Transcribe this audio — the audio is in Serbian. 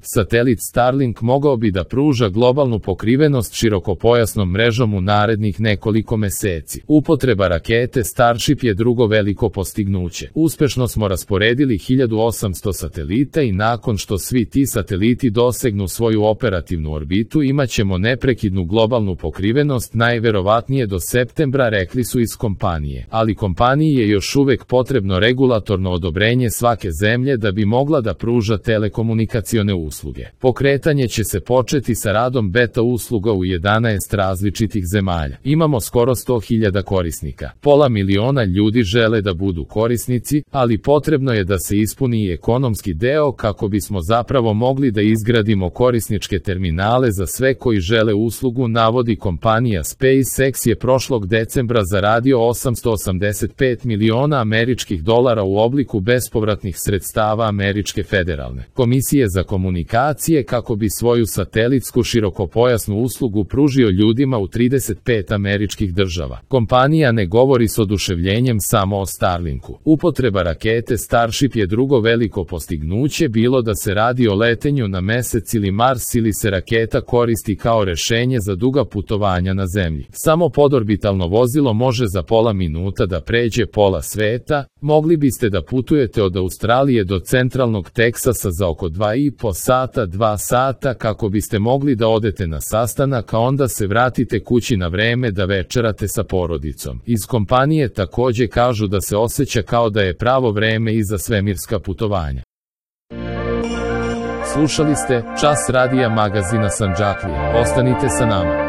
Satelit Starlink mogao bi da pruža globalnu pokrivenost širokopojasnom mrežom u narednih nekoliko meseci. Upotreba rakete Starship je drugo veliko postignuće. Uspešno smo rasporedili 1800 satelita i nakon što svi ti sateliti dosegnu svoju operativnu orbitu imaćemo neprekidnu globalnu pokrivenost najverovatnije do septembra, rekli su iz kompanije. Ali kompaniji je još uvek potrebno regulatorno odobrenje svake zemlje da bi mogla da pruža telekomunikacione usluge. Pokretanje će se početi sa radom beta usluga u 11 različitih zemalja. Imamo skoro 100.000 korisnika. Pola miliona ljudi žele da budu korisnici, ali potrebno je da se ispuni i ekonomski deo kako bismo zapravo mogli da izgradimo korisničke terminale za sve koji žele uslugu, navodi kompanija. SpaceX je prošlog decembra zaradio $885 miliona u obliku bespovratnih sredstava Američke federalne komisije za komunikacije kako bi svoju satelitsku širokopojasnu uslugu pružio ljudima u 35 američkih država. Kompanija ne govori s oduševljenjem samo o Starlinku. Upotreba rakete Starship je drugo veliko postignuće, bilo da se radi o letenju na Mesec ili Mars ili se raketa koristi kao rešenje za duga putovanja na Zemlji. Samo podorbitalno vozilo može za pola minuta da pređe pola sveta. Mogli biste da putujete od Australije do centralnog Teksasa za oko 2 sata kako biste mogli da odete na sastanak, a onda se vratite kući na vreme da večerate sa porodicom. Iz kompanije takođe kažu da se osjeća kao da je pravo vreme i za svemirska putovanja. Slušali ste Čas radija magazina Sandžaklija. Ostanite sa nama.